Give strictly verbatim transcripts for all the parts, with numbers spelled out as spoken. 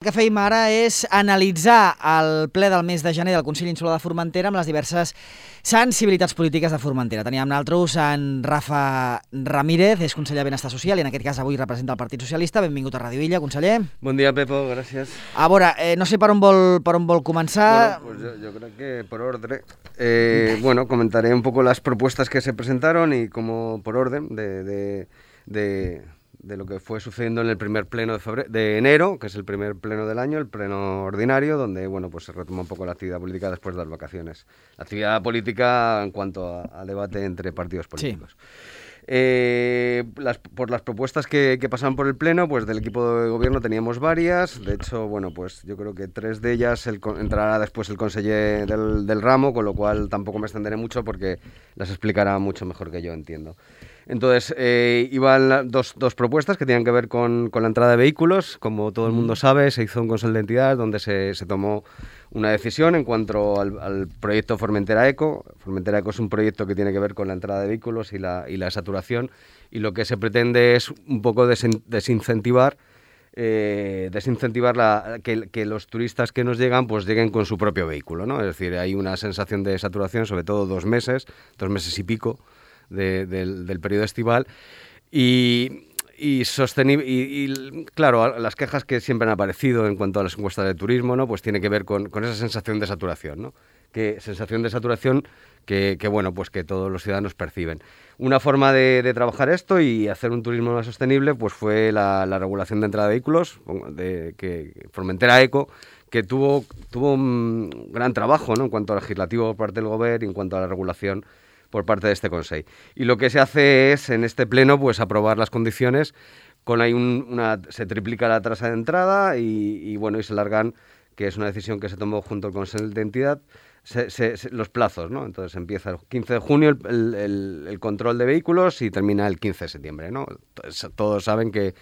El que fèiem ara és analitzar el ple del mes de gener del Consell Insular de Formentera amb les diverses sensibilitats polítiques de Formentera. Teníem nosaltres en Rafa Ramírez, és conseller de Benestar Social i en aquest cas avui representa el Partit Socialista. Benvingut a Ràdio Illa, conseller. Bon dia, Pepo, gràcies. A veure, eh, no sé per on vol, per on vol començar. Bueno, pues yo, yo creo que por orden. Eh, bueno, comentaré un poco las propuestas que se presentaron y como por orden de... de, de de lo que fue sucediendo en el primer pleno de, febrero, de enero, que es el primer pleno del año, el pleno ordinario, donde bueno, pues se retoma un poco la actividad política después de las vacaciones. La actividad política en cuanto a, a debate entre partidos políticos. Sí. Eh, las, por las propuestas que, que pasaban por el pleno, pues del equipo de gobierno teníamos varias. De hecho, bueno, pues yo creo que tres de ellas el, entrará después el conseller del, del ramo, con lo cual tampoco me extenderé mucho porque las explicará mucho mejor que yo, entiendo. Entonces, eh, iban dos, dos propuestas que tenían que ver con, con la entrada de vehículos. Como todo el mundo sabe, se hizo un Consejo de Entidad donde se, se tomó una decisión en cuanto al, al proyecto Formentera Eco. Formentera Eco es un proyecto que tiene que ver con la entrada de vehículos y la, y la saturación, y lo que se pretende es un poco desin, desincentivar Eh, desincentivar la, que, que los turistas que nos llegan pues lleguen con su propio vehículo, ¿no? Es decir, hay una sensación de saturación, sobre todo dos meses, dos meses y pico de, del, del periodo estival, y, y, sostenible, y, y claro, las quejas que siempre han aparecido en cuanto a las encuestas de turismo, ¿no? Pues tiene que ver con, con esa sensación de saturación, ¿no? Que sensación de saturación que, que bueno, pues que todos los ciudadanos perciben. Una forma de, de trabajar esto y hacer un turismo más sostenible pues fue la, la regulación de entrada de vehículos, de, que Formentera Eco, que tuvo, tuvo un gran trabajo, ¿no? En cuanto al legislativo por parte del Gobierno y en cuanto a la regulación por parte de este Consejo. Y lo que se hace es, en este pleno, pues aprobar las condiciones, con ahí un, una, se triplica la tasa de entrada y, y bueno, y se largan, que es una decisión que se tomó junto al Consejo de Entidad, Se, se, se, los plazos, ¿no? Entonces empieza el quince de junio el, el, el control de vehículos y termina el quince de septiembre, ¿no? Entonces, todos saben que,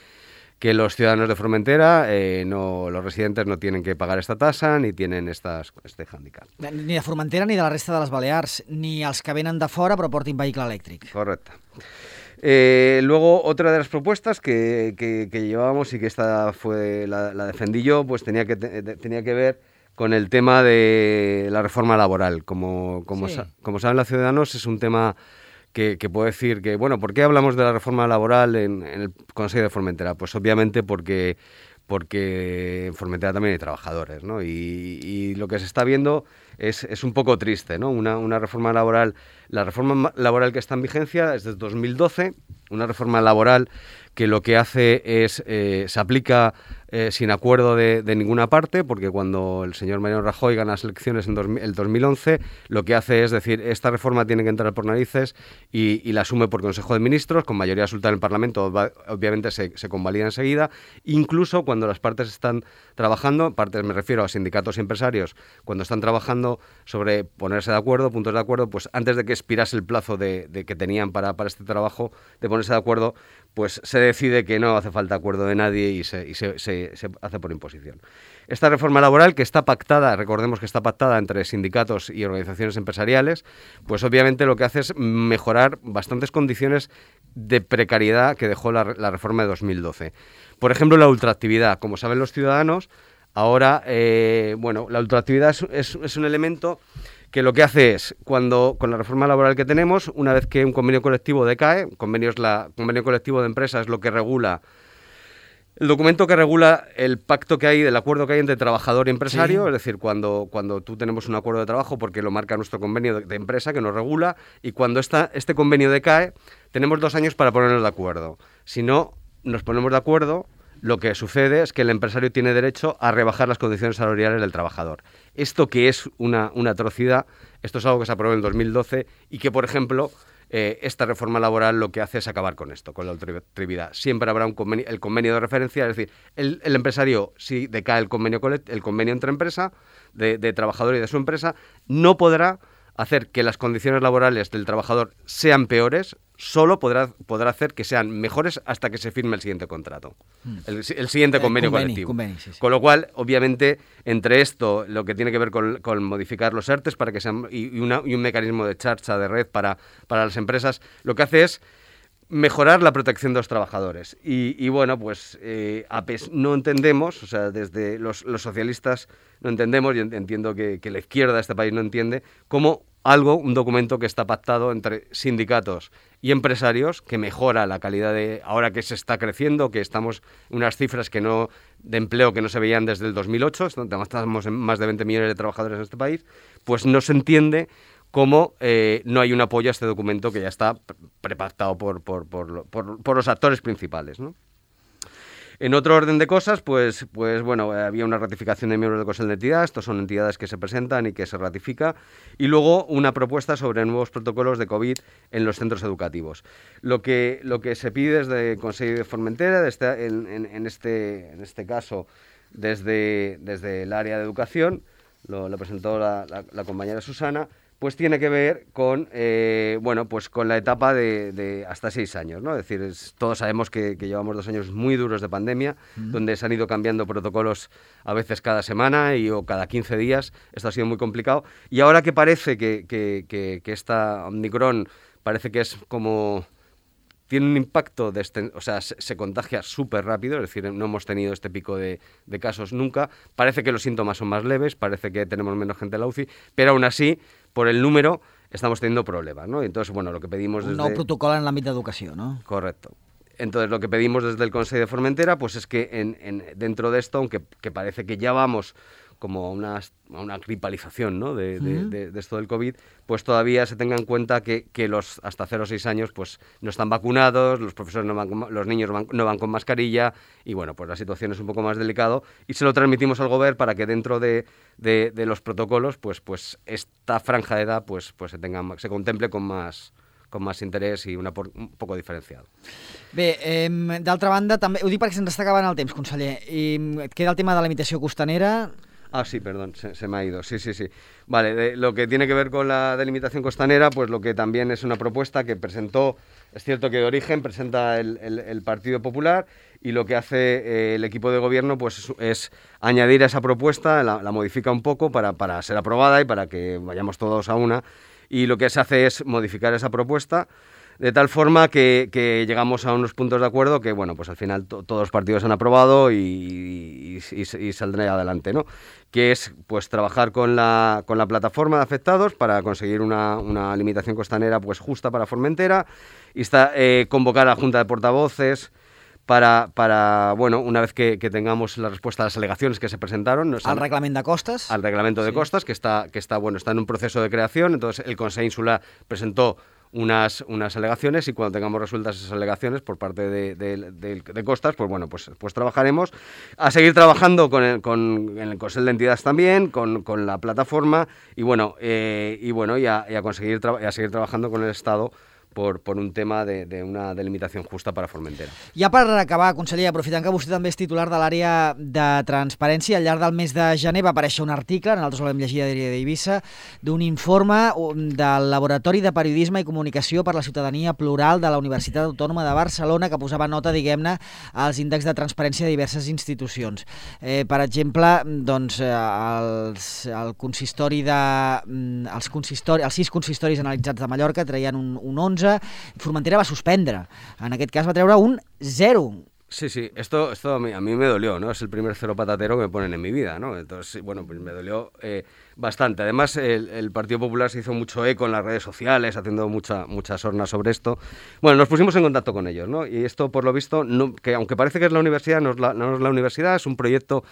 que los ciudadanos de Formentera, eh, no, los residentes no tienen que pagar esta tasa ni tienen estas, este hándicap. Ni de Formentera ni de la resta de les Balears, ni els que venen de fora però portin vehicle elèctric. Correcto. Eh, luego, otra de las propuestas que, que, que llevábamos y que esta fue la, la defendí yo, pues tenía que, tenía que ver con el tema de la reforma laboral. Como, como, sí. sa como saben los ciudadanos, es un tema que, que puedo decir que, bueno, ¿por qué hablamos de la reforma laboral en, en el Consejo de Formentera? Pues obviamente porque, porque en Formentera también hay trabajadores, ¿no? Y, y lo que se está viendo es, es un poco triste, ¿no? Una, una reforma laboral, la reforma laboral que está en vigencia es desde dos mil doce, una reforma laboral que lo que hace es, eh, se aplica eh, sin acuerdo de, de ninguna parte, porque cuando el señor Mariano Rajoy gana las elecciones en dos, el dos mil once, lo que hace es decir, esta reforma tiene que entrar por narices y, y la asume por Consejo de Ministros, con mayoría absoluta en el Parlamento, obviamente se, se convalida enseguida, incluso cuando las partes están trabajando, partes me refiero a sindicatos y empresarios, cuando están trabajando sobre ponerse de acuerdo, puntos de acuerdo, pues antes de que expirase el plazo de, de que tenían para, para este trabajo, de ponerse de acuerdo, pues se decide que no hace falta acuerdo de nadie y se, y se, se, se hace por imposición. Esta reforma laboral, que está pactada, recordemos que está pactada entre sindicatos y organizaciones empresariales, pues obviamente lo que hace es mejorar bastantes condiciones de precariedad que dejó la, la reforma de dos mil doce. Por ejemplo, la ultraactividad. Como saben los ciudadanos, ahora, eh, bueno, la ultraactividad es, es, es un elemento que lo que hace es, cuando con la reforma laboral que tenemos, una vez que un convenio colectivo decae, convenio, es la, convenio colectivo de empresa es lo que regula, el documento que regula el pacto que hay, el acuerdo que hay entre trabajador y empresario, sí. Es decir, cuando, cuando tú tenemos un acuerdo de trabajo, porque lo marca nuestro convenio de, de empresa que nos regula, y cuando esta, este convenio decae, tenemos dos años para ponernos de acuerdo. Si no nos ponemos de acuerdo, lo que sucede es que el empresario tiene derecho a rebajar las condiciones salariales del trabajador. Esto que es una, una atrocidad, esto es algo que se aprobó en dos mil doce y que, por ejemplo, eh, esta reforma laboral lo que hace es acabar con esto, con la ultraactividad. Siempre habrá un convenio, el convenio de referencia, es decir, el, el empresario, si decae el convenio, el convenio entre empresa, de, de trabajador y de su empresa, no podrá hacer que las condiciones laborales del trabajador sean peores, solo podrá, podrá hacer que sean mejores hasta que se firme el siguiente contrato, mm. el, el siguiente convenio eh, conveni, colectivo. Conveni, sí, sí. Con lo cual, obviamente, entre esto, lo que tiene que ver con, con modificar los ERTES para que sean, y, y, una, y un mecanismo de charcha de red para, para las empresas, lo que hace es mejorar la protección de los trabajadores. Y, y bueno, pues eh, A P E S no entendemos, o sea, desde los, los socialistas no entendemos, y entiendo que, que la izquierda de este país no entiende, cómo algo, un documento que está pactado entre sindicatos y empresarios, que mejora la calidad de, ahora que se está creciendo, que estamos en unas cifras que no, de empleo que no se veían desde el dos mil ocho, estamos en más de veinte millones de trabajadores en este país, pues no se entiende cómo eh, no hay un apoyo a este documento que ya está prepactado por, por, por, por, por los actores principales, ¿no? En otro orden de cosas, pues, pues bueno, había una ratificación de miembros del Consejo de Entidad, estos son entidades que se presentan y que se ratifica, y luego una propuesta sobre nuevos protocolos de COVID en los centros educativos. Lo que, lo que se pide desde el Consejo de Formentera, desde, en, en, en, este, en este caso desde, desde el área de educación, lo, lo presentó la, la, la compañera Susana, pues tiene que ver con, eh, bueno, pues con la etapa de, de hasta seis años, ¿no? Es decir, es, todos sabemos que, que llevamos dos años muy duros de pandemia, mm. donde se han ido cambiando protocolos a veces cada semana y, o cada quince días. Esto ha sido muy complicado. Y ahora que parece que, que, que, que esta Omicron parece que es como... tiene un impacto, de este, o sea, se, se contagia súper rápido, es decir, no hemos tenido este pico de, de casos nunca. Parece que los síntomas son más leves, parece que tenemos menos gente en la U C I, pero aún así, por el número, estamos teniendo problemas, ¿no? Entonces, bueno, lo que pedimos desde... Un nou protocol en l'àmbit d'educació, ¿no? Correcto. Entonces, lo que pedimos desde el Consejo de Formentera, pues es que en, en, dentro de esto, aunque que parece que ya vamos como a una, a una gripalización, ¿no? de, de, uh-huh. de, de esto del COVID, pues todavía se tenga en cuenta que, que los hasta cero a seis años pues no están vacunados, los profesores no van con, los niños van, no van con mascarilla, y bueno, pues la situación es un poco más delicado, y se lo transmitimos al gobierno para que dentro de, de, de los protocolos pues, pues esta franja de edad pues, pues se, tenga, se contemple con más... con més interès i una por, un poco diferenciado. Bé, eh, d'altra banda, també, ho dic perquè se'ns està acabant el temps, conseller, i et queda el tema de la limitació costanera. Ah, sí, perdón, se, se me ha ido, sí, sí, sí. Vale, de, lo que tiene que ver con la delimitación costanera, pues lo que también es una propuesta que presentó, es cierto que de origen presenta el, el, el Partido Popular, y lo que hace eh, el equipo de gobierno pues es, es añadir a esa propuesta, la, la modifica un poco para, para ser aprobada y para que vayamos todos a una. Y lo que se hace es modificar esa propuesta de tal forma que, que llegamos a unos puntos de acuerdo que, bueno, pues al final to, todos los partidos han aprobado y, y, y, y saldrá adelante, ¿no? Que es, pues, trabajar con la, con la plataforma de afectados para conseguir una, una limitación costanera, pues, justa para Formentera, y está, eh, convocar a la Junta de Portavoces para, para bueno, una vez que, que tengamos la respuesta a las alegaciones que se presentaron... ¿Al reglamento de costas? Al reglamento de sí. costas, que está, que está, bueno, está en un proceso de creación. Entonces el Consejo Insular presentó unas, unas alegaciones, y cuando tengamos resueltas esas alegaciones por parte de, de, de, de costas, pues bueno, pues, pues trabajaremos a seguir trabajando con el, con, en el Consejo de Entidades también, con, con la plataforma, y bueno, eh, y, bueno y, a, y, a conseguir tra- y a seguir trabajando con el Estado por, por un tema de, de una delimitació justa per a Formentera. Ja per acabar, conseller, aprofitant que vostè també és titular de l'àrea de transparència, al llarg del mes de gener va aparèixer un article, nosaltres l'hem llegit a Diari d'Eivissa, d'un informe del Laboratori de Periodisme i Comunicació per la Ciutadania Plural de la Universitat Autònoma de Barcelona, que posava nota, diguem-ne, als índexs de transparència de diverses institucions. Eh, per exemple, doncs, els, el consistori de, els, consistori, els sis consistoris analitzats de Mallorca traien un, un onze, Formentera va suspendre. En aquest cas va treure un zero. Sí, sí, esto, esto a, mí, a mí me dolió, ¿no? Es el primer cero patatero que me ponen en mi vida, ¿no? Entonces, bueno, pues me dolió eh, bastante. Además, el, el Partido Popular se hizo mucho eco en las redes sociales, haciendo mucha, mucha sorna sobre esto. Bueno, nos pusimos en contacto con ellos, ¿no? Y esto, por lo visto, no, que aunque parece que es la universidad, no es la, no es la universidad, es un proyecto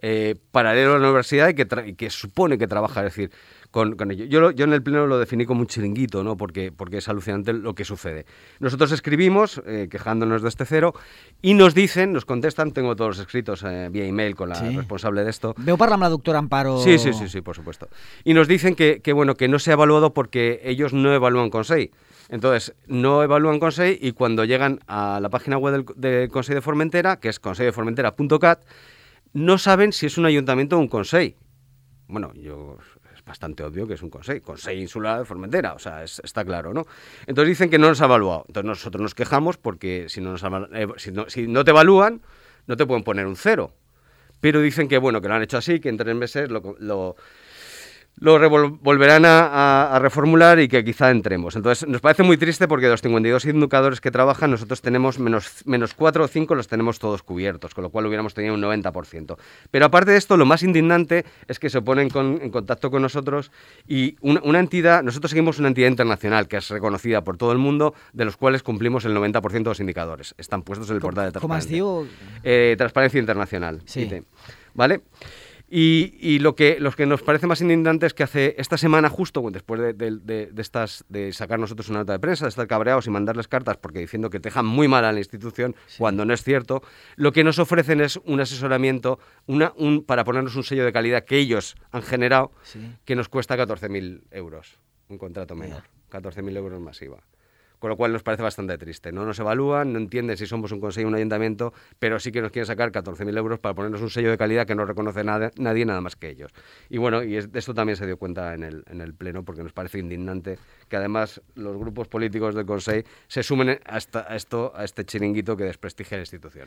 eh, paralelo a la universidad y que, tra- y que supone que trabaja, es decir, Con, con ello. Yo, lo, yo en el pleno lo definí como un chiringuito, ¿no? Porque, porque es alucinante lo que sucede. Nosotros escribimos eh, quejándonos de este cero y nos dicen, nos contestan, tengo todos los escritos eh, vía email con la sí. responsable de esto. ¿Veu parlar amb la doctora Amparo? Sí, sí, sí, sí, por supuesto. Y nos dicen que, que, bueno, que no se ha evaluado porque ellos no evalúan Consell. Entonces, no evalúan Consell y cuando llegan a la página web del, del Consell de Formentera, que es consell de formentera punto cat, no saben si es un ayuntamiento o un Consell. Bueno, yo... bastante obvio que es un Consell, Consell Insular de Formentera, o sea, es, está claro, ¿no? Entonces dicen que no nos ha evaluado. Entonces nosotros nos quejamos porque si no, nos ha, eh, si, no, si no te evalúan, no te pueden poner un cero. Pero dicen que, bueno, que lo han hecho así, que en tres meses lo... lo lo revol- volverán a, a, a reformular y que quizá entremos. Entonces, nos parece muy triste porque de los cincuenta y dos indicadores que trabajan, nosotros tenemos menos, menos cuatro o cinco, los tenemos todos cubiertos, con lo cual hubiéramos tenido un noventa por ciento. Pero aparte de esto, lo más indignante es que se ponen con, en contacto con nosotros y una, una entidad, nosotros seguimos una entidad internacional que es reconocida por todo el mundo, de los cuales cumplimos el noventa por ciento de los indicadores. Están puestos en el portal de Transparencia. ¿Cómo es, diu? Eh, Transparencia Internacional. Sí. I T, ¿vale? Y, y lo, que, lo que nos parece más indignante es que hace esta semana justo, después de, de, de, de, estas, de sacar nosotros una nota de prensa, de estar cabreados y mandarles cartas porque diciendo que dejan muy mal a la institución, sí, cuando no es cierto, lo que nos ofrecen es un asesoramiento una, un, para ponernos un sello de calidad que ellos han generado, sí, que nos cuesta catorce mil euros, un contrato menor, catorce mil euros más I V A. Con lo cual nos parece bastante triste. No nos evalúan, no entienden si somos un consejo o un ayuntamiento, pero sí que nos quieren sacar catorce mil euros para ponernos un sello de calidad que no reconoce nada, nadie nada más que ellos. Y bueno, y es, de esto también se dio cuenta en el, en el Pleno, porque nos parece indignante que además los grupos políticos del Consell se sumen a, esta, a, esto, a este chiringuito que desprestigia la institució.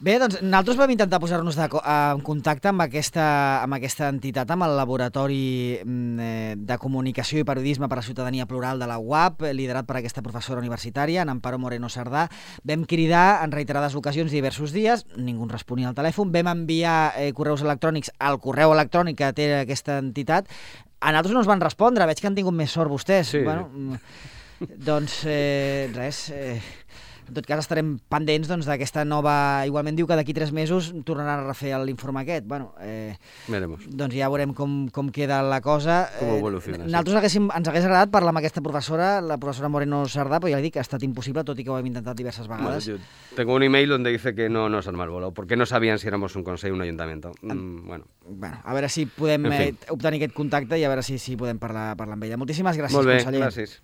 Bé, doncs nosaltres vam intentar posar-nos de, en contacte amb aquesta, amb aquesta entitat, amb el Laboratori de Comunicació i Periodisme per a Ciutadania Plural de la U A P, liderat per aquesta professora universitària, en Amparo Moreno Sardà. Vam cridar en reiterades ocasions diversos dies, ningú ens responia al telèfon, vam enviar eh, correus electrònics al correu electrònic que té aquesta entitat. A nosaltres no ens van respondre, veig que han tingut més sort vostès. Sí. Bueno, doncs eh, res... Eh, en tot cas estarem pendents doncs, d'aquesta nova... Igualment diu que d'aquí tres mesos tornaran a refer l'informe aquest. Bueno, eh, Veremos. Doncs ja veurem com, com queda la cosa. Com evoluciona. Eh, nosaltres haguéssim, ens hagués agradat parlar amb aquesta professora, la professora Moreno Sardà, però ja dic que ha estat impossible, tot i que ho hem intentat diverses vegades. Bueno, yo tengo un email donde dice que no nos han malvolado, porque no sabían si éramos un consell o un ayuntamiento. Mm, bueno. Bueno, a veure si podem en fi. eh, obtenir aquest contacte i a veure si, si podem parlar, parlar amb ella. Moltíssimes gràcies, Molt bé, conseller. Gràcies.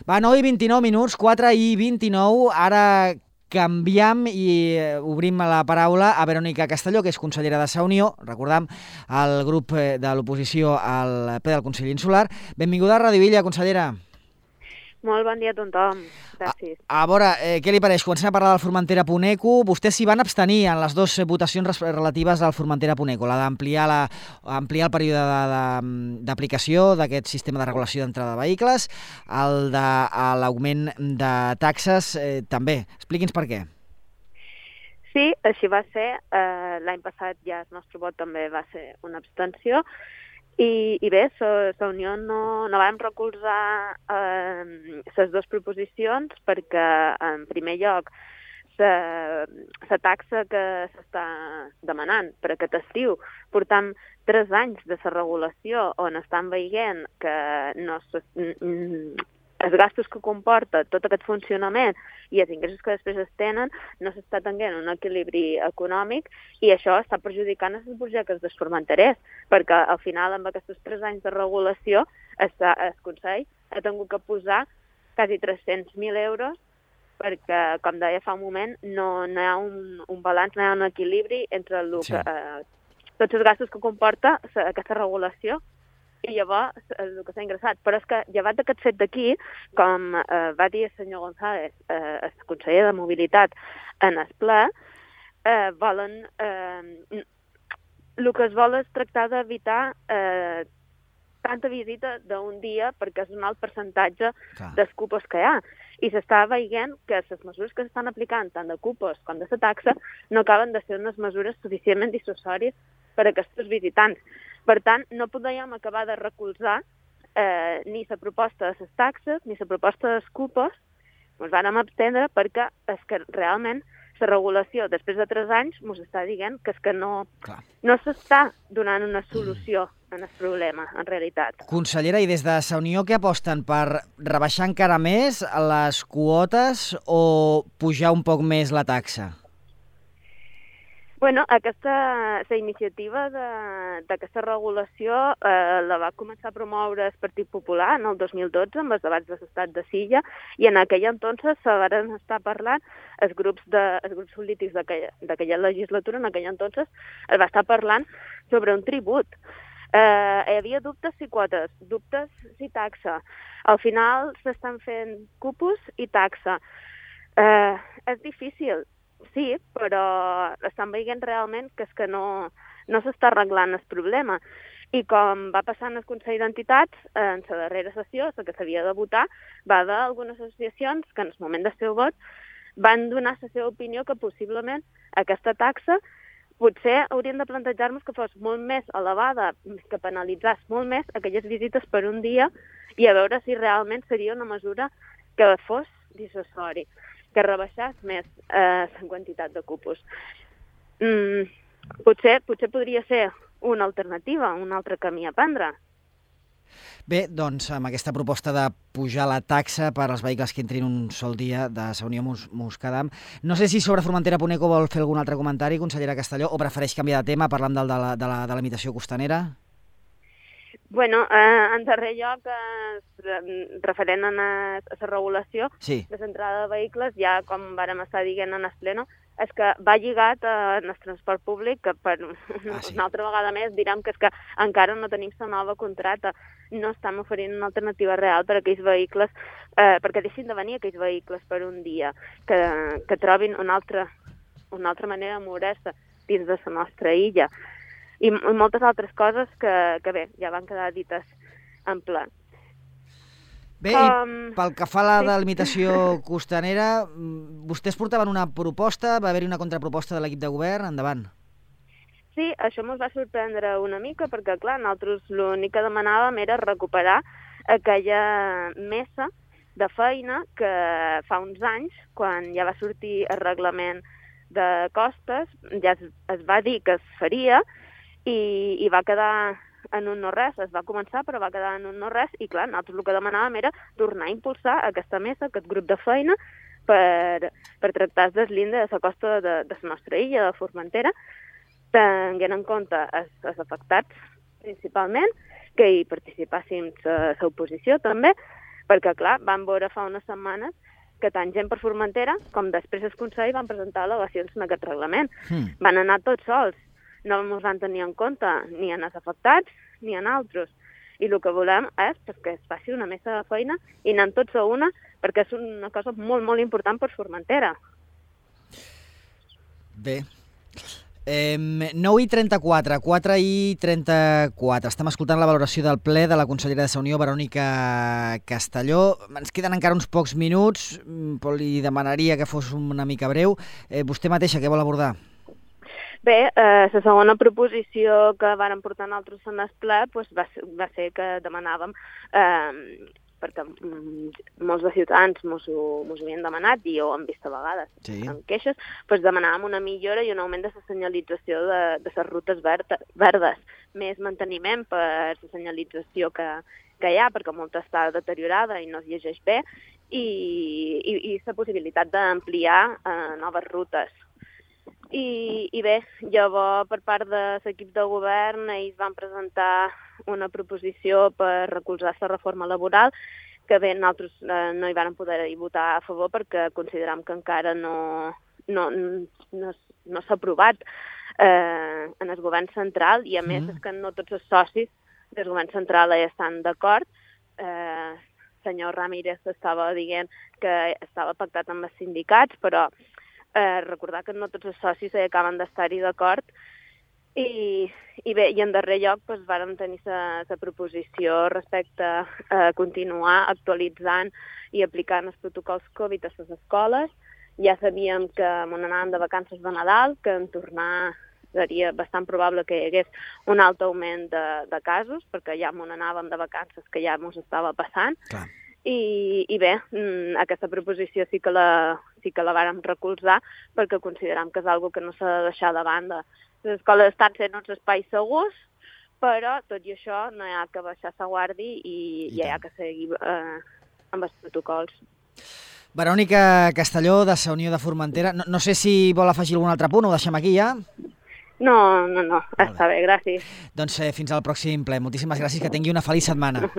Va, nou i vint-i-nou minuts, quatre i vint-i-nou, ara canviem i obrim la paraula a Verònica Castelló, que és consellera de Sa Unió, recordam, el grup de l'oposició al ple del Consell Insular. Benvinguda a Ràdio Illa, consellera. Molt bon dia a tothom. Gràcies. A, a veure, eh, què li pareix? Comencem a parlar del Formentera-Puneco. Vostès s'hi van abstenir en les dues votacions relatives al Formentera-Puneco, la d'ampliar la, ampliar el període d'aplicació d'aquest sistema de regulació d'entrada de vehicles, el de l'augment de taxes eh, també. Expliqui'ns per què. Sí, així va ser. Eh, L'any passat ja el nostre vot també va ser una abstenció. I, i bé, la Unió no, no vam recolzar les eh, dues proposicions perquè, en primer lloc, la taxa que s'està demanant per aquest estiu, portam tres anys de la regulació on estan veient que no se, els gastos que comporta tot aquest funcionament i els ingressos que després es tenen no s'està tenint un equilibri econòmic i això està perjudicant els projectes dels formenterers, perquè al final amb aquests tres anys de regulació el, el Consell ha tingut que posar quasi tres-cents mil euros perquè, com deia fa un moment, no, no hi ha un, un balanç, no hi ha un equilibri entre el que, sí. eh, tots els gastos que comporta aquesta regulació i llavors el que s'ha ingressat. Però és que, llevat d'aquest fet d'aquí, com eh, va dir el senyor González, eh, el conseller de Mobilitat, en el ple, eh, volen... Eh, el que es vol és tractar d'evitar eh, tanta visita d'un dia perquè és un alt percentatge Clar. dels cupos que hi ha. I s'està veient que les mesures que s'estan aplicant, tant de cupos com de la taxa, no acaben de ser unes mesures suficientment dissuasòries per a aquests visitants. Per tant, no podíem acabar de recolzar eh, ni la proposta de les taxes ni la proposta dels cupos. Ens vam abstendre perquè és que realment la regulació, després de tres anys, ens està dient que és que no, no s'està donant una solució en el problema, en realitat. Consellera, i des de Sa Unió què aposten? Per rebaixar encara més les quotes o pujar un poc més la taxa? Bueno, aquesta la iniciativa d'aquesta regulació eh, la va començar a promoure el Partit Popular en el dos mil dotze amb els debats de l'estat de Silla i en aquell entonces se van estar parlant els grups, de, els grups polítics d'aquella legislatura, en aquell entonces es va estar parlant sobre un tribut. Eh, hi havia dubtes si quotes, dubtes si taxa. Al final s'estan fent cupos i taxa. Eh, és difícil. Sí, però estan veient realment que és que no, no s'està arreglant el problema. I com va passar en el Consell d'Entitats, en la darrera sessió, la que s'havia de votar, va haver algunes associacions que en el moment del seu vot van donar la seva opinió que possiblement aquesta taxa potser hauríem de plantejar-nos que fos molt més elevada, que penalitzés molt més aquelles visites per un dia i a veure si realment seria una mesura que fos dissuasori, que rebaixés més eh, la quantitat de cupos. Mm, potser, potser podria ser una alternativa, un altre camí a prendre. Bé, doncs, amb aquesta proposta de pujar la taxa per als vehicles que entrin un sol dia de la Unió Muscadam, no sé si sobre Formentera punt eco vol fer algun altre comentari, consellera Castelló, o prefereix canviar de tema, parlant del, de, la, de la delimitació costanera? Bueno, eh, en darrer lloc, eh, referent a la regulació sí. de l'entrada de vehicles, ja com vàrem estar dient en el pleno, és que va lligat eh, en el transport públic, que per ah, sí. una altra vegada més direm que és que encara no tenim la nova contracta, no estem oferint una alternativa real per a aquells vehicles, eh, perquè deixin de venir aquells vehicles per un dia, que, que trobin una altra, una altra manera de moure-se dins de la nostra illa. I, i moltes altres coses que, que bé, ja van quedar dites en ple. Bé, um, i pel que fa a la sí. delimitació costanera, vostès portaven una proposta, va haver-hi una contraproposta de l'equip de govern, endavant. Sí, això ens va sorprendre una mica, perquè clar, nosaltres l'únic que demanàvem era recuperar aquella mesa de feina que fa uns anys, quan ja va sortir el reglament de costes, ja es, es va dir que es faria, i, i va quedar en un no-res, es va començar però va quedar en un no-res i clar, nosaltres el que demanàvem era tornar a impulsar aquesta mesa, aquest grup de feina per, per tractar el deslinde de la costa de, de la nostra illa, de Formentera, tenint en compte els, els afectats principalment, que hi participàssim l'oposició també, perquè clar, vam veure fa unes setmanes que tant gent per Formentera com després el Consell van presentar al·legacions en aquest reglament. Hmm. Van anar tots sols. No ens van tenir en compte ni en els afectats ni en altres. I el que volem és que es faci una mesa de feina i anem tots a una, perquè és una cosa molt, molt important per Formentera. Bé. Eh, nou i trenta-quatre, quatre i trenta-quatre. Estem escoltant la valoració del ple de la consellera de la Unió, Verònica Castelló. Ens queden encara uns pocs minuts, però li demanaria que fos una mica breu. Eh, vostè mateixa, què vol abordar? Bé, eh, la segona proposició que vàrem portar nosaltres en el ple pues, va, ser, va ser que demanàvem, eh, perquè mm, molts de ciutadans mos ho, mos ho havien demanat i ho hem vist a vegades sí. en queixes, pues demanàvem una millora i un augment de la senyalització de, de les rutes verdes, verdes, més manteniment per la senyalització que, que hi ha, perquè molta està deteriorada i no es llegeix bé, i, i, i la possibilitat d'ampliar eh, noves rutes. I, i bé, llavors per part de l'equip de govern ells van presentar una proposició per recolzar la reforma laboral que bé, nosaltres eh, no hi vam poder votar a favor perquè consideram que encara no, no, no, no s'ha aprovat eh, en el govern central i a més mm. és que no tots els socis del govern central hi estan d'acord. Eh, senyor Ramírez estava dient que estava pactat amb els sindicats, però Eh, recordar que no tots els socis eh, acaben d'estar-hi d'acord i, i bé, i en darrer lloc doncs, vàrem tenir la proposició respecte a continuar actualitzant i aplicant els protocols Covid a les escoles. Ja sabíem que on anàvem de vacances de Nadal, que en tornar seria bastant probable que hi hagués un alt augment de, de casos, perquè ja on anàvem de vacances que ja ens estava passant. Clar. I, i bé, aquesta proposició sí que la, sí que la vàrem recolzar perquè consideram que és una cosa que no s'ha de deixar de banda. Les escoles estan sent uns espais segurs, però tot i això no hi ha que baixar la guàrdia i, I, i hi ha que seguir eh, amb els protocols. Verònica Castelló, de la Unió de Formentera. No, no sé si vol afegir algun altre punt, ho deixem aquí ja? No, no, no, està bé, gràcies. Doncs eh, fins al pròxim ple. Moltíssimes gràcies, que tingui una feliç setmana.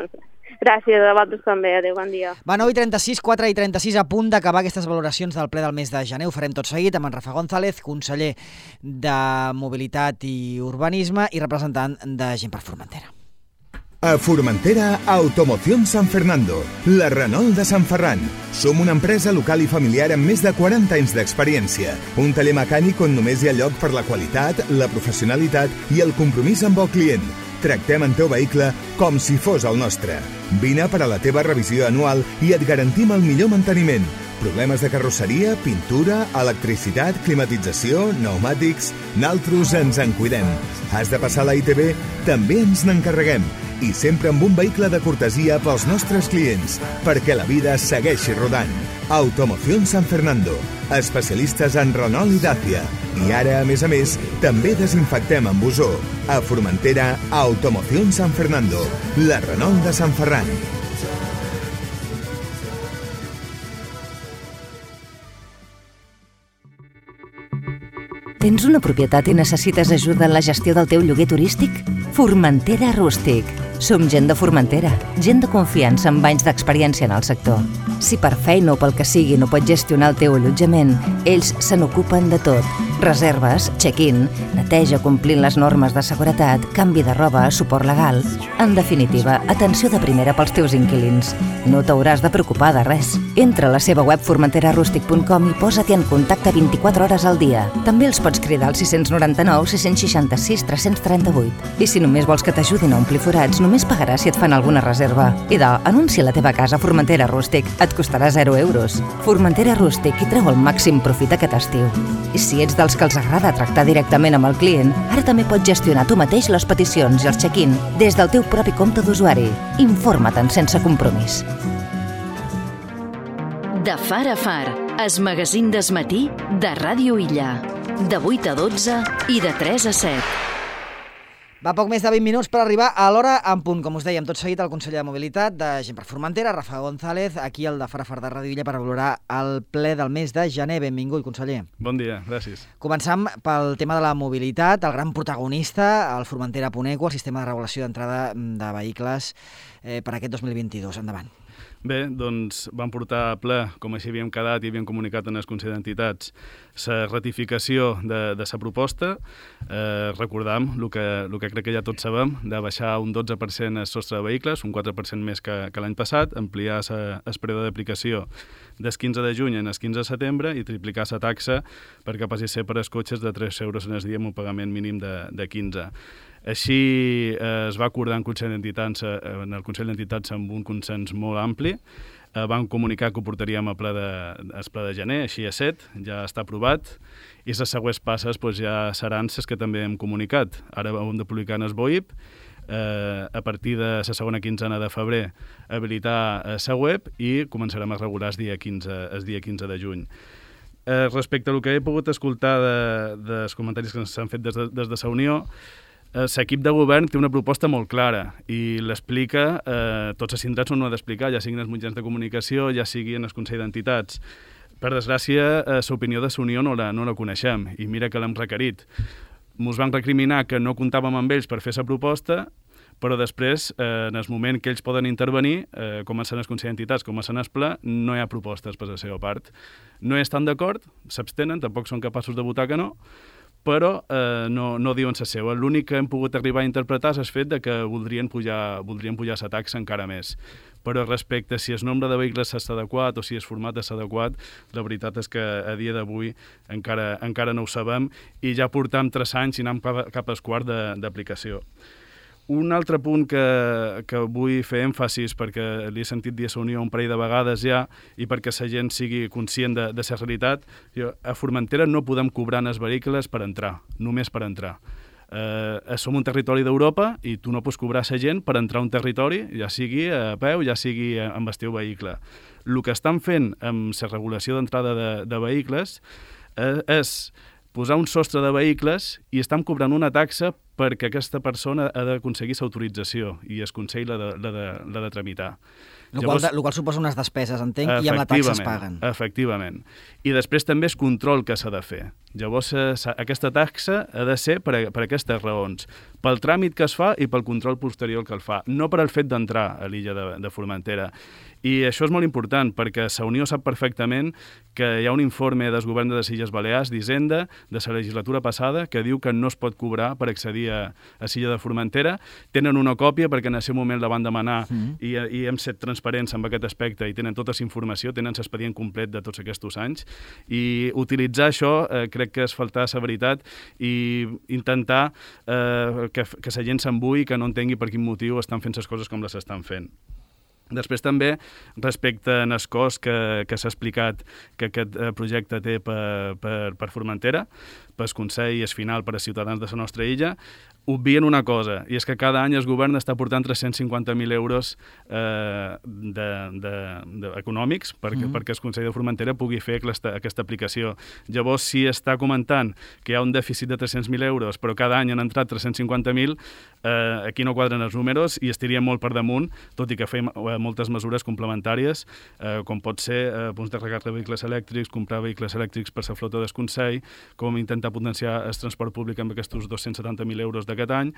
Gràcies, a vosaltres també. Adéu, bon dia. Va, nou i trenta-sis, quatre i trenta-sis, a punt d'acabar aquestes valoracions del ple del mes de gener. Ho farem tot seguit amb en Rafa González, conseller de Mobilitat i Urbanisme i representant de Gent per Formentera. A Formentera, Automoción San Fernando, la Renault de Sant Ferran. Som una empresa local i familiar amb més de quaranta anys d'experiència. Un taller mecànic on només hi ha lloc per la qualitat, la professionalitat i el compromís amb el client. Tractem el teu vehicle com si fos el nostre. Vine per a la teva revisió anual i et garantim el millor manteniment. Problemes de carrosseria, pintura, electricitat, climatització, pneumàtics... Naltros ens en cuidem. Has de passar a la I T B? També ens n'encarreguem. I sempre amb un vehicle de cortesia pels nostres clients, perquè la vida segueixi rodant. Automoción San Fernando, especialistes en Renault i Dacia. I ara, a més a més, també desinfectem amb ozó. A Formentera, Automoción San Fernando, la Renault de Sant Ferran. Tens una propietat i necessites ajuda en la gestió del teu lloguer turístic? Formentera Rústic. Som gent de Formentera, gent de confiança amb anys d'experiència en el sector. Si per feina o pel que sigui no pots gestionar el teu allotjament, ells se n'ocupen de tot. Reserves, check-in, neteja complint les normes de seguretat, canvi de roba, suport legal... En definitiva, atenció de primera pels teus inquilins. No t'hauràs de preocupar de res. Entra a la seva web formentera rústic punt com i posa-t'hi en contacte vint-i-quatre hores al dia. També els pots cridar al sis nou nou, sis sis sis, tres tres vuit. I si només vols que t'ajudin a omplir forats, només pagaràs si et fan alguna reserva. I de, anuncia la teva casa a Formentera Rústic. Et costarà zero euros. Formentera Rústic i treu el màxim profit aquest estiu. I si ets dels que els agrada tractar directament amb el client, ara també pots gestionar tu mateix les peticions i els check-in des del teu propi compte d'usuari. Informa't sense compromís. De far a far, es magazín d'esmatí de Ràdio Illa. De vuit a dotze i de tres a set. Va poc més de vint minuts per arribar a l'hora en punt. Com us dèiem, tot seguit el conseller de Mobilitat de Gent per Formentera, Rafa González, aquí al de Far a Far de Ràdio Illa per valorar el ple del mes de gener. Benvingut, conseller. Bon dia, gràcies. Començam pel tema de la mobilitat, el gran protagonista, el Formentera Puneco, el sistema de regulació d'entrada de vehicles eh, per aquest dos mil vint-i-dos. Endavant. Bé, doncs vam portar a ple, com així havíem quedat i havíem comunicat en el Consell d'Entitats, la ratificació de la proposta. Eh, recordam el que, el que crec que ja tots sabem, de baixar un dotze per cent el sostre de vehicles, un quatre per cent més que, que l'any passat, ampliar el període d'aplicació del quinze de juny en el quinze de setembre i triplicar la taxa perquè passi a ser per als cotxes de tres euros en el dia amb un pagament mínim de, de quinze. Així eh, es va acordar en, Consell d'Entitats, eh, en el Consell d'Entitats amb un consens molt ampli. Eh, vam comunicar que ho portaríem a ple de, al ple de gener, així a set, ja està aprovat, i les següents passes doncs, ja seran les que també hem comunicat. Ara hem de publicar en el B O I P, eh, a partir de la segona quinzena de febrer habilitar la web i començarem a regular el dia quinze, el dia quinze de juny. Eh, respecte al que he pogut escoltar de, dels comentaris que s'han fet des de, des de la Unió, l'equip de govern té una proposta molt clara i l'explica, eh, tots els sindicats no ho ha d'explicar, ja siguin els mitjans de comunicació, ja sigui en el Consell d'Entitats. Per desgràcia, eh, l'opinió de la Unió no la, no la coneixem i mira que l'hem requerit. Ens van recriminar que no comptàvem amb ells per fer la proposta, però després, eh, en el moment que ells poden intervenir, eh, com en el Consell d'Entitats, com en el Ple, no hi ha propostes per la seva part. No hi estan d'acord, s'abstenen, tampoc són capaços de votar que no, però eh, no, no diuen la seva. L'únic que hem pogut arribar a interpretar és el fet de que voldrien pujar, voldrien pujar la taxa encara més. Però respecte a si el nombre de vehicles és adequat o si el format és adequat, la veritat és que a dia d'avui encara, encara no ho sabem i ja portam tres anys i anem cap, cap al quart d'aplicació. Un altre punt que, que vull fer èmfasis, perquè li he sentit dir a la Unió un parell de vegades ja i perquè la gent sigui conscient de, de la realitat, jo, a Formentera no podem cobrar els vehicles per entrar, només per entrar. Eh, som un territori d'Europa i tu no pots cobrar la gent per entrar a un territori, ja sigui a peu, ja sigui amb el teu vehicle. El que estan fent amb la regulació d'entrada de, de vehicles eh, és posar un sostre de vehicles i estan cobrant una taxa perquè aquesta persona ha d'aconseguir l'autorització i el Consell l'ha de, de, de, de tramitar. El qual, Llavors, qual suposa unes despeses, entenc, i amb la taxa es paguen. Efectivament. I després també és control que s'ha de fer. Llavors, aquesta taxa ha de ser per, a, per aquestes raons, pel tràmit que es fa i pel control posterior que el fa, no per al fet d'entrar a l'illa de, de Formentera. I això és molt important, perquè la Unió sap perfectament que hi ha un informe del govern de les Illes Balears, d'Hisenda, de la legislatura passada, que diu que no es pot cobrar per accedir a, a l'illa de Formentera. Tenen una còpia, perquè en aquest moment la van demanar mm. i, i hem set transparents transparents amb aquest aspecte i tenen tota la informació, tenen l'expedient complet de tots aquests anys, i utilitzar això eh, crec que és faltar la veritat i intentar eh, que, que la gent s'embui, que no entengui per quin motiu estan fent les coses com les estan fent. Després també, respecte al cost que, que s'ha explicat que aquest projecte té per, per, per Formentera, pel Consell i el final per als ciutadans de la nostra illa, obvien una cosa, i és que cada any el govern està portant tres-cents cinquanta mil euros eh, de, de, de, econòmics perquè, mm. perquè el Consell de Formentera pugui fer aquesta, aquesta aplicació. Llavors, si està comentant que hi ha un dèficit de tres-cents mil euros, però cada any han entrat tres-cents cinquanta mil, eh, aquí no quadren els números i estaria molt per damunt, tot i que fem eh, moltes mesures complementàries, eh, com pot ser eh, punts de recàrrega de vehicles elèctrics, comprar vehicles elèctrics per la flota del Consell, com intentar potenciar el transport públic amb aquests dos-cents setanta mil euros d'aquest any.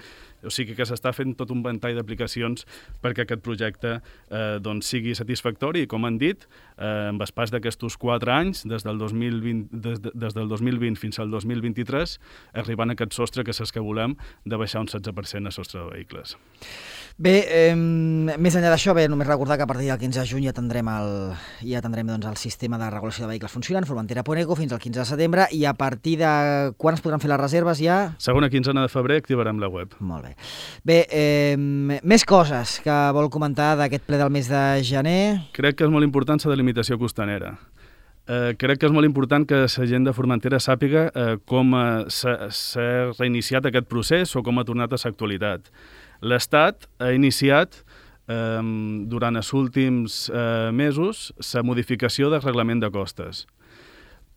O sigui que s'està fent tot un ventall d'aplicacions perquè aquest projecte eh, doncs sigui satisfactori i, com han dit, eh, amb el pas d'aquests quatre anys, des del, dos mil vint, des, de, des del dos mil vint fins al dos mil vint-i-tres, arribant a aquest sostre que és el que volem, de baixar un setze per cent a sostre de vehicles. Bé, eh, més enllà d'això, bé, només recordar que a partir del quinze de juny ja tindrem el, ja tindrem, doncs, el sistema de regulació de vehicles funcionant, Formentera punt eco, fins al quinze de setembre, i a partir de quan es podran fer les reserves ja? Segona quinzena de febrer activarem la web. Molt bé. Bé, eh, més coses que vol comentar d'aquest ple del mes de gener? Crec que és molt important la delimitació costanera. Eh, crec que és molt important que la gent de Formentera sàpiga eh, com eh, s'ha reiniciat aquest procés o com ha tornat a l'actualitat. L'Estat ha iniciat eh, durant els últims eh, mesos la modificació del reglament de costes,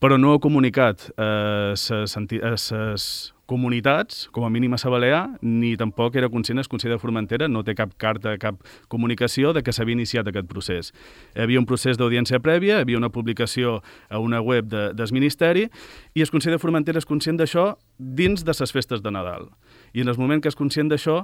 però no ha comunicat a les comunitats, com a mínim a la Balear, ni tampoc era conscient el Consell de Formentera, no té cap carta, cap comunicació de que s'havia iniciat aquest procés. Hi havia un procés d'audiència prèvia, hi havia una publicació a una web de, del Ministeri, i el Consell de Formentera és conscient d'això dins de les festes de Nadal. I en el moment que és conscient d'això,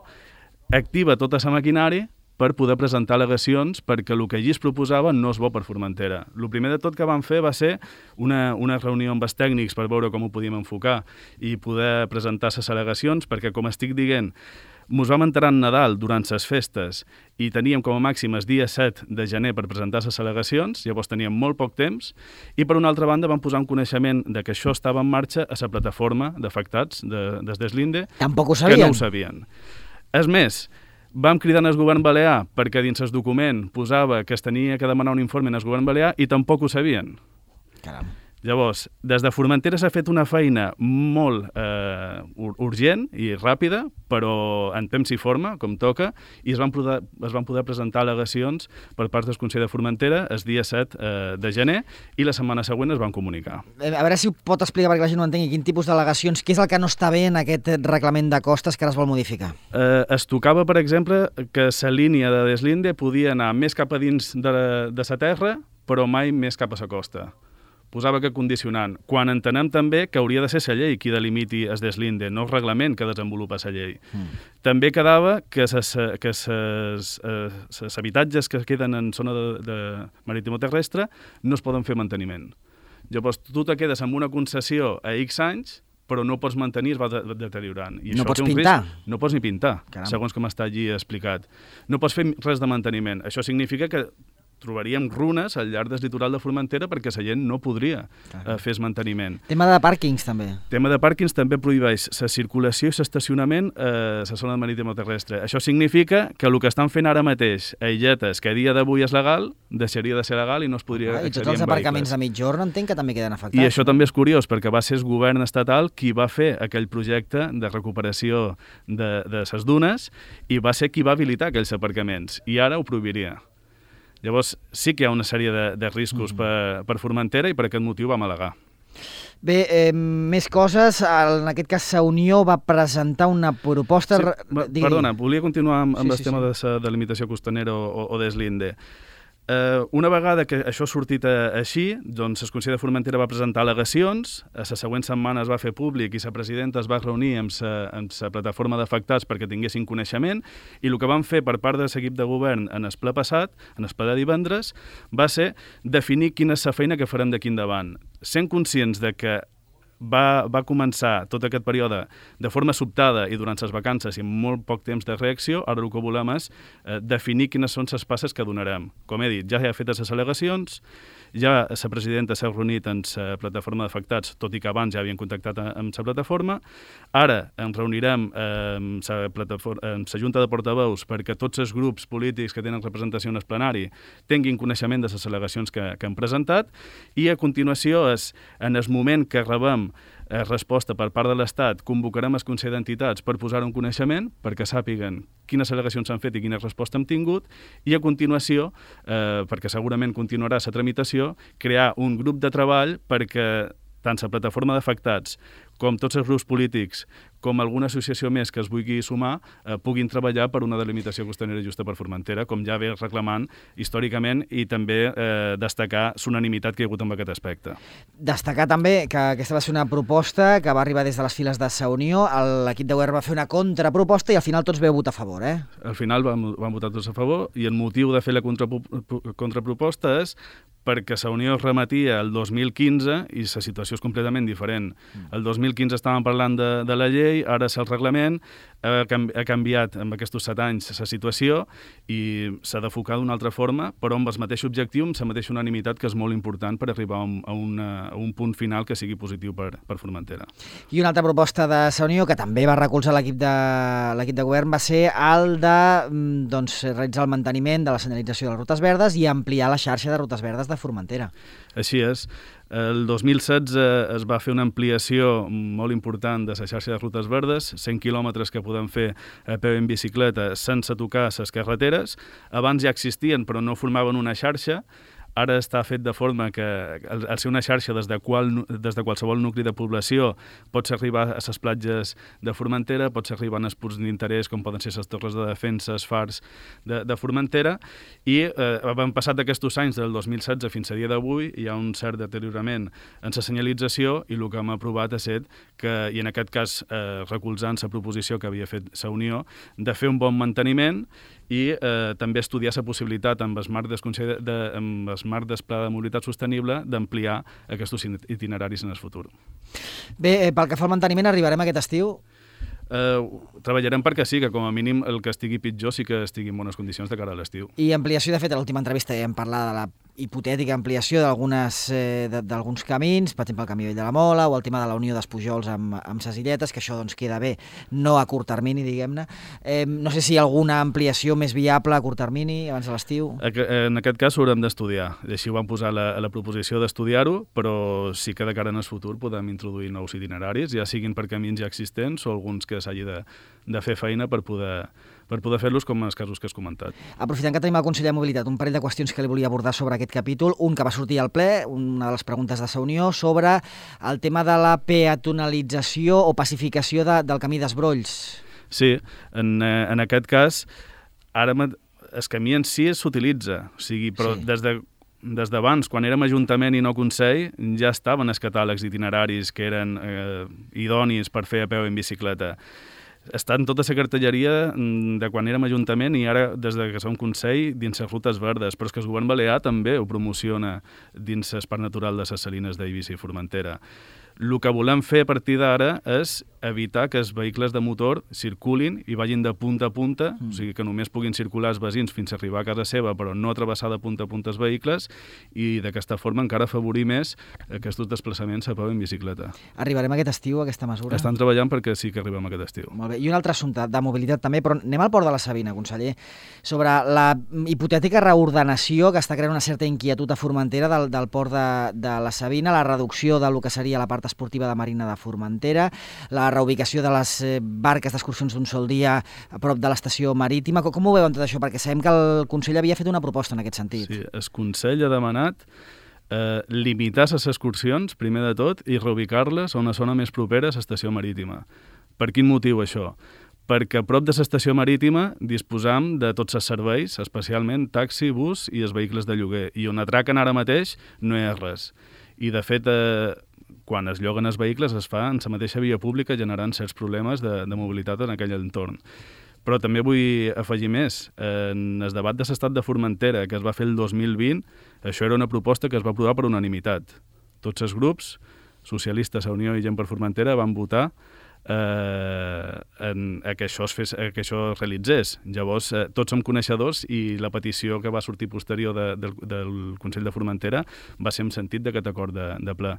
activa tota la maquinària per poder presentar al·legacions perquè el que allí es proposava no és bo per Formentera. El primer de tot que vam fer va ser una, una reunió amb els tècnics per veure com ho podíem enfocar i poder presentar les al·legacions, perquè, com estic dient, mos vam enterar en Nadal durant les festes i teníem com a màxim el dia set de gener per presentar les al·legacions, llavors teníem molt poc temps, i per una altra banda vam posar un coneixement de que això estava en marxa a la plataforma d'afectats de, des d'Eslinde, Tampoc ho sabien. que no ho sabien. És més, vam cridar al govern balear perquè dins el document posava que es tenia que demanar un informe al govern balear i tampoc ho sabien. Caram. Llavors, des de Formentera s'ha fet una feina molt eh, urgent i ràpida, però en temps i forma, com toca, i es van poder, es van poder presentar al·legacions per part del Consell de Formentera el dia set eh, de gener, i la setmana següent es van comunicar. A veure si ho pot explicar perquè la gent no entengui quin tipus d'al·legacions, què és el que no està bé en aquest reglament de costes que ara es vol modificar? Eh, es tocava, per exemple, que la línia de Deslinde podia anar més cap a dins de, de la terra, però mai més cap a la costa. Posava que condicionant, quan entenem també que hauria de ser la llei qui delimiti el Deslinde, no el reglament que desenvolupa la llei. Mm. També quedava que els habitatges que queden en zona de, de marítimo-terrestre no es poden fer manteniment. Llavors, tu te quedes amb una concessió a X anys, però no pots mantenir, es va de, deteriorant. I no això pots té un pintar? Risc. No pots ni pintar, Caram. segons com està allí explicat. No pots fer res de manteniment. Això significa que trobaríem runes al llarg del litoral de Formentera perquè la gent no podria eh, fer el manteniment. Tema de pàrquings, també. Tema de pàrquings també prohibeix la circulació i l'estacionament a eh, la zona marítimo-terrestre. Això significa que el que estan fent ara mateix a illetes, que a dia d'avui és legal, deixaria de ser legal i no es podria ah, accedir I tots els amb aparcaments vehicles. a mitjorn entenc que també queden afectats. I això no? també és curiós, perquè va ser el govern estatal qui va fer aquell projecte de recuperació de, de les dunes i va ser qui va habilitar aquells aparcaments, i ara ho prohibiria. Llavors, sí que hi ha una sèrie de, de riscos mm. per, per Formentera i per aquest motiu vam al·legar. Bé, eh, més coses. En aquest cas, la Unió va presentar una proposta... Sí, va, perdona, volia continuar amb, amb sí, el sí, tema sí. de la delimitació costanera o, o d'Eslinde. Uh, una vegada que això ha sortit a, així, doncs el Consell de Formentera va presentar al·legacions, a la següent setmana es va fer públic i la presidenta es va reunir amb la plataforma d'afectats perquè tinguessin coneixement, i el que van fer per part de l'equip de govern en el ple passat, en el ple de divendres, va ser definir quina és la feina que farem d'aquí endavant, sent conscients de que va, va començar tot aquest període de forma sobtada i durant les vacances i amb molt poc temps de reacció. Ara el que volem és eh, definir quines són les passes que donarem. Com he dit, ja hi ha fetes les al·legacions, ja la presidenta s'ha reunit amb la plataforma d'afectats, tot i que abans ja havien contactat amb la plataforma. Ara ens reunirem amb la Junta de Portaveus perquè tots els grups polítics que tenen representació en el plenari tinguin coneixement de les al·legacions que, que han presentat, i a continuació, és, en el moment que rebem eh, resposta per part de l'Estat, convocarem el Consell d'Entitats per posar un coneixement, perquè sàpiguen quines al·legacions s'han fet i quina resposta hem tingut, i a continuació, eh, perquè segurament continuarà la tramitació, crear un grup de treball perquè tant la plataforma d'afectats com tots els grups polítics, com alguna associació més que es vulgui sumar, eh, puguin treballar per una delimitació costanera justa per Formentera, com ja ve reclamant històricament, i també eh, destacar l'unanimitat que hi ha hagut en aquest aspecte. Destacar també que aquesta va ser una proposta que va arribar des de les files de Sa Unió, l'equip de govern va fer una contraproposta i al final tots veu votar a favor, eh? Al final vam, vam votar tots a favor, i el motiu de fer la contraproposta és perquè Sa Unió es remetia el dos mil quinze i la situació és completament diferent. El dos mil quinze estàvem parlant de, de la llei, ara és el reglament, ha, ha canviat en aquests set anys la situació i s'ha d'enfocar d'una altra forma, però amb el mateix objectiu, amb la mateixa unanimitat, que és molt important per arribar a un, a una, a un punt final que sigui positiu per, per Formentera. I una altra proposta de Sa Unió, que també va recolzar l'equip de, l'equip de govern, va ser el de doncs, realitzar el manteniment de la senyalització de les rutes verdes i ampliar la xarxa de rutes verdes de Formentera. Així és. El dos mil setze es va fer una ampliació molt important de la xarxa de rutes verdes, cent quilòmetres que podem fer a peu en bicicleta sense tocar les carreteres. Abans ja existien, però no formaven una xarxa. Ara està fet de forma que, al, al ser una xarxa des de, qual, des de qualsevol nucli de població, pots arribar a les platges de Formentera, pots arribar a punts d'interès com poden ser les torres de defensa, els fars de, de Formentera, i eh, han passat aquests anys del dos mil setze fins a dia d'avui, hi ha un cert deteriorament en la senyalització, i el que hem aprovat ha estat que, i en aquest cas eh, recolzant la proposició que havia fet Sa Unió, de fer un bon manteniment i eh, també estudiar la possibilitat amb el marc del Consell de, amb el marc del Pla de Mobilitat Sostenible d'ampliar aquests itineraris en el futur. Bé, eh, pel que fa al manteniment, arribarem aquest estiu? Eh, treballarem perquè sí, que com a mínim el que estigui pitjor sí que estigui en bones condicions de cara a l'estiu. I ampliació, de fet, a l'última entrevista ja hem parlat de la hipotètica ampliació d'algunes eh, d'alguns camins, per exemple el camí vell de la Mola o el tema de la Unió d'Espujols amb, amb ses illetes, que això doncs, queda bé, no a curt termini, diguem-ne. Eh, no sé si hi ha alguna ampliació més viable a curt termini, abans de l'estiu. En aquest cas ho haurem d'estudiar. Així ho vam posar a la, a la proposició d'estudiar-ho, però sí que de cara en el futur podem introduir nous itineraris, ja siguin per camins ja existents o alguns que s'hagi de, de fer feina per poder, per poder fer-los com en els casos que has comentat. Aprofitant que tenim el conseller de Mobilitat, un parell de qüestions que li volia abordar sobre aquest capítol. Un que va sortir al ple, una de les preguntes de Sa Unió, sobre el tema de la peatonalització o pacificació de, del camí d'Esbrolls. Sí, en, en aquest cas, ara el camí en si s'utilitza, o sigui, però sí. des de Des d'abans, quan érem Ajuntament i no Consell, ja estaven els catàlegs d'itineraris que eren eh, idonis per fer a peu en bicicleta. Està en tota la cartelleria de quan érem Ajuntament i ara, des de que som Consell, dins les rutes verdes. Però és que el govern balear també ho promociona dins l'Esparc Natural de les Salines d'Eivissa i Formentera. El que volem fer a partir d'ara és evitar que els vehicles de motor circulin i vagin de punta a punta, mm. o sigui que només puguin circular els veïns fins a arribar a casa seva, però no travessar de punta a punta els vehicles, i d'aquesta forma encara afavorir més aquests desplaçaments a peu en bicicleta. Arribarem aquest estiu a aquesta mesura? Estan treballant perquè sí que arribem aquest estiu. Molt bé. I un altre assumpte de mobilitat també, però anem al Port de la Sabina, conseller, sobre la hipotètica reordenació que està creant una certa inquietud a Formentera del, del Port de, de la Sabina, la reducció del que seria la part esportiva de Marina de Formentera, la reubicació de les barques d'excursions d'un sol dia a prop de l'estació marítima. Com ho veuen tot això? Perquè sabem que el Consell havia fet una proposta en aquest sentit. Sí, el Consell ha demanat eh, limitar les excursions, primer de tot, i reubicar-les a una zona més propera a l'estació marítima. Per quin motiu això? Perquè a prop de l'estació marítima disposam de tots els serveis, especialment taxi, bus i els vehicles de lloguer, i on atraquen ara mateix no hi ha res. I de fet, eh, quan es lloguen els vehicles es fa en la mateixa via pública, generant certs problemes de, de mobilitat en aquell entorn. Però també vull afegir més. En el debat de l'estat de Formentera, que es va fer el dos mil vint, això era una proposta que es va aprovar per unanimitat. Tots els grups socialistes, a Unió i Gent per Formentera, van votar eh, en, a, que això es fes, a que això es realitzés. Llavors, eh, tots som coneixedors i la petició que va sortir posterior de, del, del Consell de Formentera va ser en sentit d'aquest acord de, de ple.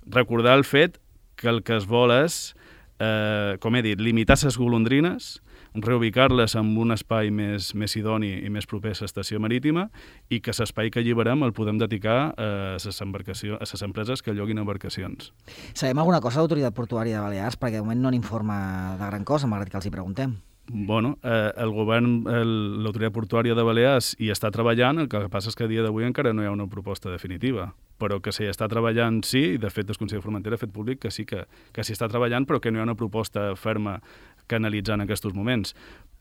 Recordar el fet que el que es vol és, eh, com he dit, limitar les golondrines, reubicar-les en un espai més, més idoni i més proper a l'estació marítima i que l'espai que alliberem el podem dedicar a les embarcacions, a les empreses que lloguin embarcacions. Sabem alguna cosa de l'Autoritat Portuària de Balears? Perquè de moment no n'informa de gran cosa, malgrat que els hi preguntem. Bueno, eh, el govern, el, l'Autoritat Portuària de Balears hi està treballant, el que passa és que a dia d'avui encara no hi ha una proposta definitiva, però que s'hi està treballant sí, i de fet el Consell de Formentera ha fet públic que sí que, que s'hi està treballant, però que no hi ha una proposta ferma que analitzar en aquests moments.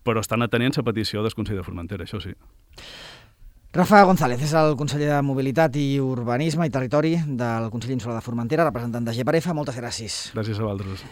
Però estan atenent la petició del Consell de Formentera, això sí. Rafa González és el conseller de Mobilitat i Urbanisme i Territori del Consell Insular de Formentera, representant de G per F. Moltes gràcies. Gràcies a vosaltres.